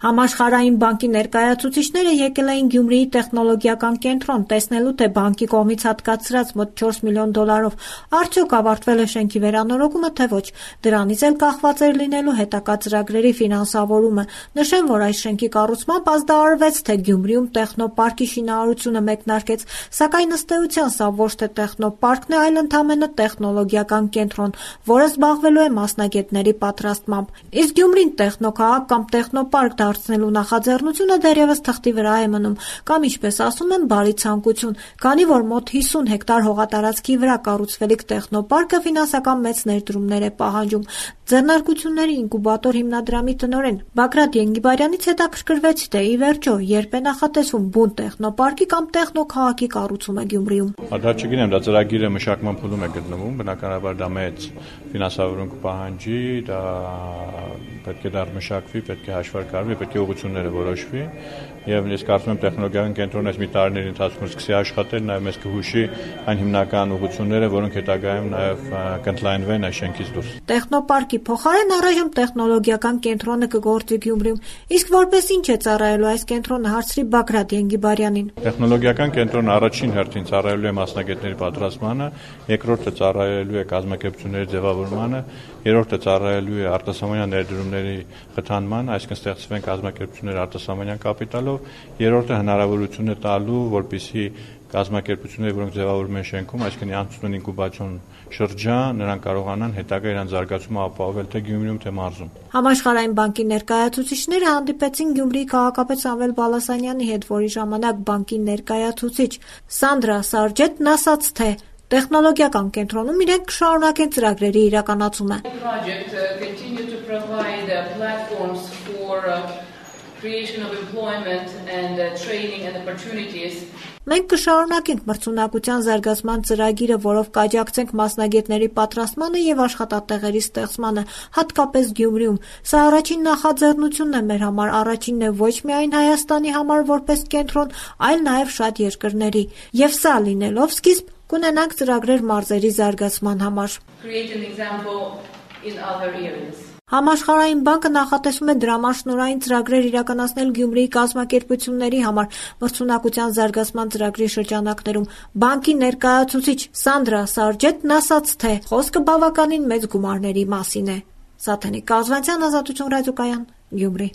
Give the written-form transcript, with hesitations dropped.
Համաշխարհային բանկի ներկայացուցիչները եկել էին Գյումրիի տեխնոլոգիական կենտրոն տեսնելու, թե բանկի կողմից հատկացրած մոտ 4 միլիոն դոլարով արդյոք ավարտվել է շենքի վերանորոգումը, թե ոչ։ Դրանից էլ կախված էր լինելու հետագա ծրագրերի ֆինանսավորումը։ Նշեմ, որ այս շենքի կառուցմամբ ազդարարվեց, թե Գյումրիում տեխնոպարկի շինարարությունը մեկնարկեց, սակայն ըստ էության սա ոչ թե տեխնոպարկն է, այլ ընդամենը տեխնոլոգիական կենտրոն, որը զբաղվելու է մասնագետների պատրաստմամբ։ Իսկ Գյումրին տեխնոքաղաք կամ տեխնոպարկ դարձնելու նախաձեռնությունը դեռևս թղթի վրա է մնում, կամ ինչպես ասում են, բարի ցանկություն, քանի որ մոտ 50 հեկտար հողատարածքի վրա կառուցվելիք տեխնոպարկը ֆինանսական մեծ ներդրումներ է պահանջում։ Ձեռնարկությունների ինկուբատոր հիմնադրամի տնօրեն Բագրատ Ենգիբարյանից հետաքրքրվեցի, թե ի վերջո երբ է նախատեսվում բուն տեխնոպարկի կամ տեխնոքաղաքի կառուցումը Գյումրիում։ Դա չգիտեմ, դա ծրագիրը մշակման փուլում է գտնվում, բնականաբար դա մեծ ֆինանսավորում կպահանջի, դա պետք է դեռ մշակվի, պետք է հաշվարկարվի, պետք է ուղղությունները որոշվի, եւ ես կարծում եմ տեխնոլոգիական կենտրոնը այս մի տարիների ընթացքում սկսի աշխատել, նաեւ մեզ կհուշի այն հիմնական ուղղությունները, որոնք հետագայում նաեւ կընդլայնվեն այս շենքից դուրս։ Տեխնոպարկի փոխարեն առայժմ տեխնոլոգիական կենտրոնը կգործվի Գյումրիում, իսկ որպես ինչ է ծառայելու այս կենտրոնը, հարցրի Բագրատ Ենգիբարյանին։ Տեխնոլոգիական կենտրոնը առաջին հերթին ծառայելու է մասնագետների պատրաստմանը, երկրորդը ծառայելու է կազմակերպությունների ձևավորմանը, երրորդը ծառայելու է արտասահմանյան ներդրումների խթանման, այսինքն ստեղծվեն կազմակերպություններ արտասահմանյան կապիտալով, երրորդը հնարավորություն է տալու, որպեսզի կազմակերպությունները, որոնք ձևավորվում են շենքում, այսինքն անցնում ինկուբացիոն շրջան, նրանք կարողանան հետագա իրենց զարգացումը ապահովել թե Գյումրիում, թե մարզում։ Համաշխարհային բանկի ներկայացուցիչները հանդիպեցին Գյումրիի քաղաքապետ Սամվել Բալասանյանի հետ, որի ժամանակ բանկի ներկայացուցիչ Սանդրա Սարջետն ասաց, թե տեխնոլոգիական կենտրոնում իրենք կշարունակեն ծրագրերի իրականացումը։ Մենք կշարունակենք մրցունակության զարգացման ծրագիրը, որով կաջակցենք մասնագետների պատրաստմանը եւ աշխատատեղերի ստեղծմանը, հատկապես Գյումրիում։ Սա առաջին նախաձեռնությունն է մեր համար, առաջինն է ոչ միայն Հայաստանի համար որպես կենտրոն, այլ նաեւ շատ երկրների։ Եվ սա լինելով սկիզբ, կունենանք ծրագրեր մարզերի զարգացման համար։ Համաշխարհային բանկը նախատեսում է դրամաշնորհային ծրագրեր իրականացնել Գյումրիի կազմակերպությունների համար մրցունակության զարգացման ծրագրի շրջանակներում։ Բանկի ներկայացուցիչ Սանդրա Սարջետն ասաց, թե խոսքը բավականին մեծ գումարների մասին է։ Սաթենիկ Կազվանցյան, Ազատություն ռադիոկայան, Գյումրի։